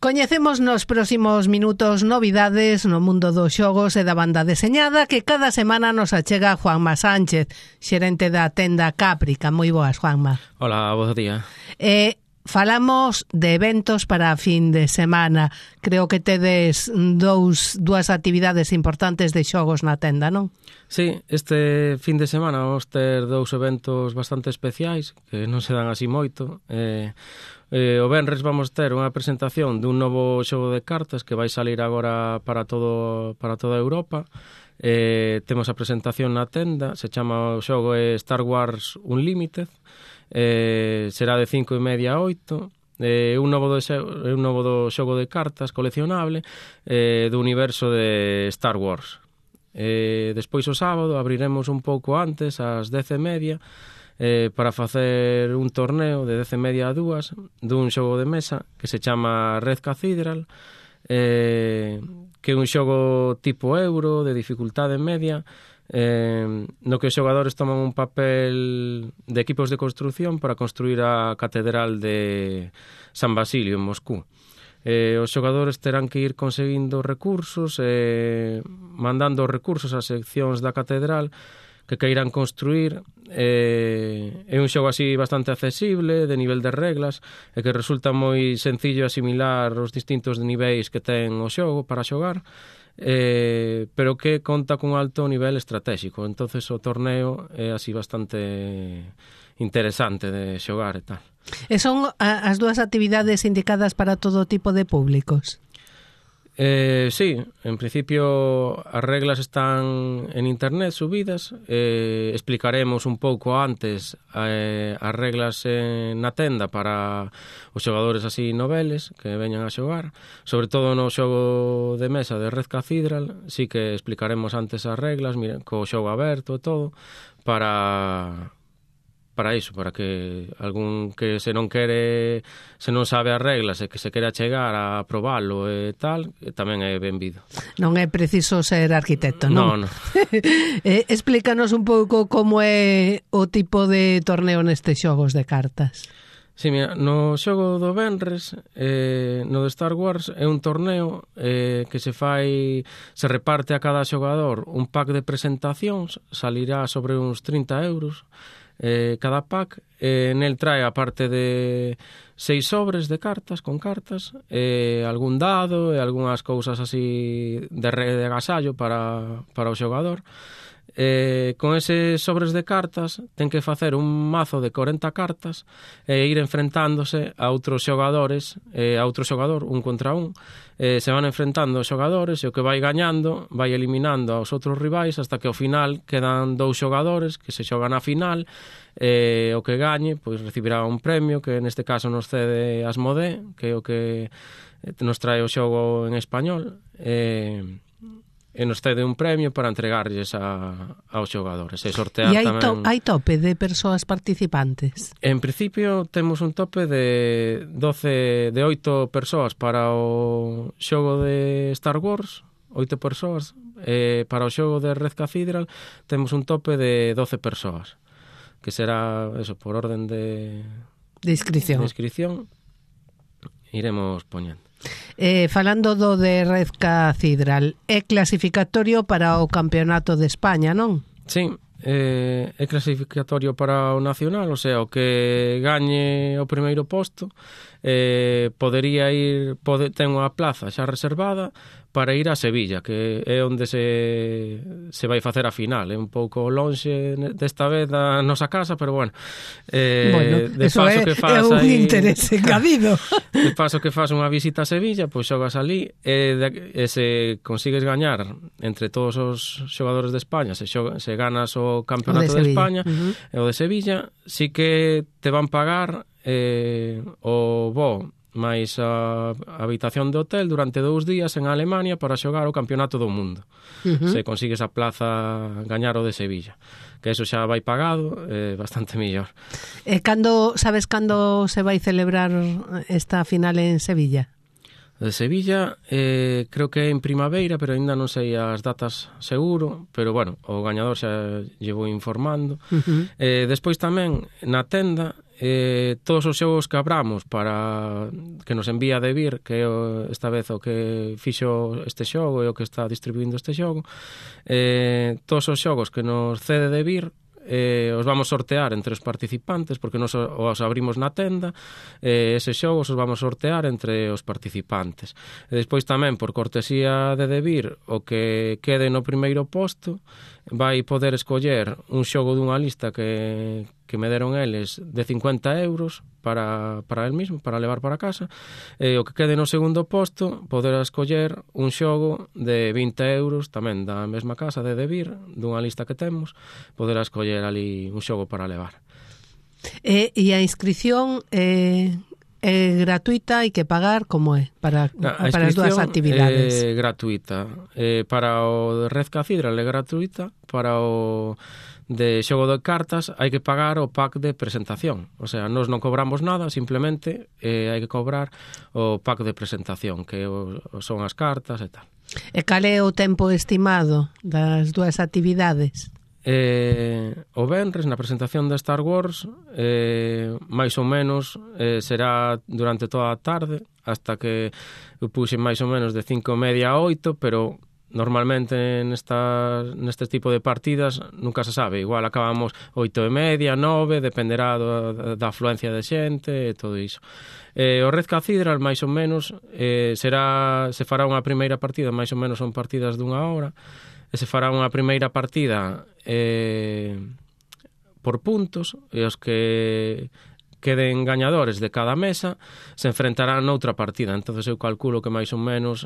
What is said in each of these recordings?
Coñecemos nos próximos minutos novidades no mundo dos xogos e da banda deseñada que cada semana nos achega Juanma Sánchez, xerente da tenda Caprica. Moi boas, Juanma. Hola, bo día. Falamos de eventos para a fin de semana. Creo que tedes dúas actividades importantes de xogos na tenda, non? Sí, este fin de semana vamos ter dous eventos bastante especiais que non se dan así moito. O venres vamos ter unha presentación dun novo xogo de cartas que vai salir agora para toda Europa. Temos a presentación na tenda, se chama o xogo Star Wars Unlimited. Será de 5:30 a 8. Un novo xogo de cartas coleccionable do universo de Star Wars. Despois o sábado abriremos un pouco antes, ás 10:30, para facer un torneo de 10:30 a 2 dun xogo de mesa que se chama Red Cathedral, que é un xogo tipo euro de dificultade media, no que os xogadores toman un papel de equipos de construción para construir a Catedral de San Basilio en Moscú. Os xogadores terán que ir conseguindo recursos, mandando recursos ás seccións da catedral que queiran construir. É un xogo así bastante accesible, de nivel de reglas, e que resulta moi sencillo asimilar os distintos niveis que ten o xogo para xogar, pero que conta cun alto nivel estratégico. Entonces o torneo é así bastante interesante de xogar e tal. E son as dúas actividades indicadas para todo tipo de públicos? Sí, en principio as reglas están en internet subidas. Explicaremos un pouco antes as reglas na tenda para os xogadores así noveles que veñan a xogar. Sobre todo no xogo de mesa de Red Cathedral sí que explicaremos antes as reglas, miren, co xogo aberto e todo, para iso, para que algún que se non sabe as reglas e que se quere chegar a probalo e tal, tamén é benvido. Non é preciso ser arquitecto, non? Non. Explícanos un pouco como é o tipo de torneo nestes xogos de cartas. Sí, mira, no xogo do venres, no de Star Wars, é un torneo que se reparte a cada xogador un pack de presentacións, salirá sobre uns 30 euros cada pack. Nel trae, aparte de 6 sobres de cartas, con cartas, algún dado e algunhas cousas así de agasallo para o xogador. Con eses sobres de cartas ten que facer un mazo de 40 cartas e ir enfrentándose a outros xogadores, a outro xogador, un contra un. Se van enfrentando os xogadores e o que vai gañando vai eliminando aos outros rivais hasta que ao final quedan 2 xogadores que se xogan a final. O que gañe pois recibirá un premio que neste caso nos cede Asmodee, que é o que nos trae o xogo en español, e nos cede un premio para entregarlles aos xogadores e sortear tamén. Hai tope de persoas participantes? En principio temos un tope de 8 persoas para o xogo de Star Wars, 8 persoas. Para o xogo de Red Cathedral temos un tope de 12 persoas, que será eso, por orden de inscripción iremos poñendo. Falando do de Red Cathedral, é clasificatorio para o Campeonato de España, non? Sí, é clasificatorio para o nacional, o sea, o que gañe o primeiro posto podería ir, ten unha plaza xa reservada para ir a Sevilla, que é onde se vai facer a final. É un pouco lonxe desta vez da nosa casa, pero bueno, de paso que faz un interese engadido. De paso que faz unha visita a Sevilla, pois xogas ali e se consigues gañar entre todos os xogadores de España, se ganas o Campeonato de España e o de Sevilla, sí que te van pagar o voo máis a habitación de hotel durante 2 días en Alemania para xogar o Campeonato do Mundo. Se consigues a plaza gañar o de Sevilla, que eso xa vai pagado, bastante mellor. Sabes cando se vai celebrar esta final en Sevilla? De Sevilla creo que é en primavera, pero ainda non sei as datas seguro, pero bueno, o gañador xa llevo informando. Despois tamén na tenda todos os xogos que abramos para que nos envía de Vir, que esta vez o que fixo este xogo e o que está distribuindo este xogo, todos os xogos que nos cede de Vir os vamos sortear entre os participantes, porque nos os abrimos na tenda, eses xogos os vamos sortear entre os participantes. E despois tamén, por cortesía de Vir, o que quede no primeiro posto vai poder escoller un xogo dunha lista que me deron eles de 50 euros para el mismo, para levar para casa, e o que quede no segundo posto poder escoller un xogo de 20 euros tamén da mesma casa de Vir, dunha lista que temos, poder escoller ali un xogo para levar. E a inscripción é gratuita, hai que pagar, como é para as dúas actividades? É gratuita. Para o Red Cathedral é gratuita, para o de xogo de cartas hai que pagar o pack de presentación. O sea, nós non cobramos nada, simplemente hai que cobrar o pack de presentación, que son as cartas e tal. E cal é o tempo estimado das dúas actividades? O venres na presentación de Star Wars máis ou menos será durante toda a tarde, hasta que eu puxen máis ou menos de 5:30 a 8, pero normalmente neste tipo de partidas nunca se sabe, igual acabamos 8:30, 9, dependerá da afluencia de xente e todo iso. O Red Cathedral máis ou menos se fará unha primeira partida, máis ou menos son partidas dunha hora, e se fará unha primeira partida por puntos, e os que queden gañadores de cada mesa se enfrentarán noutra partida. Entonces eu calculo que máis ou menos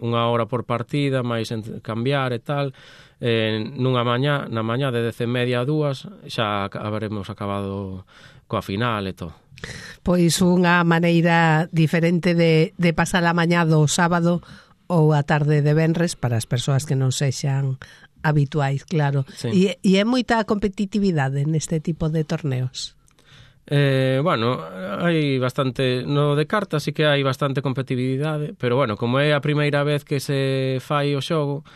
unha hora por partida, máis cambiar e tal, na mañá de 10:30 a 2 xa haberemos acabado coa final e todo. Pois unha maneira diferente de pasar a mañá do sábado ou a tarde de venres para as persoas que non sexan habituais, claro. Sí. E é moita competitividade neste tipo de torneos? Bueno, hai bastante, no de cartas sí que hai bastante competitividade, pero bueno, como é a primeira vez que se fai o xogo,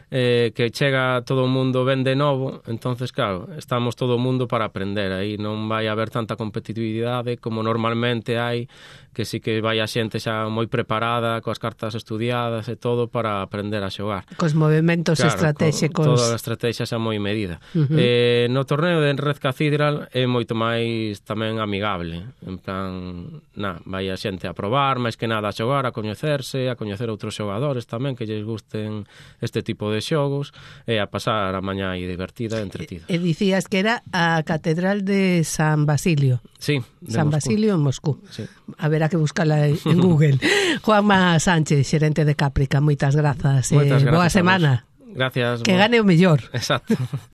que chega todo o mundo ben de novo, entonces claro, estamos todo o mundo para aprender, aí non vai haber tanta competitividade como normalmente hai, que sí que vai a xente xa moi preparada, coas cartas estudiadas e todo para aprender a xogar. Cos movimentos estratégicos. Toda a estrategia xa moi medida. No torneo de Red Cathedral é moito máis tamén amigable, en plan, vai a xente a probar, máis que nada a xogar, a coñecerse, a coñecer outros xogadores tamén que lles gusten este tipo de xogos, e a pasar a mañá divertida e entretida. E dicías que era a Catedral de San Basilio. Sí, San Moscú. Basilio en Moscú. Sí. A ver, que buscala en Google. Juanma Sánchez, xerente de Caprica, moitas grazas. Moitas grazas. Boa semana. Gracias. Que gane o mellor. Exacto.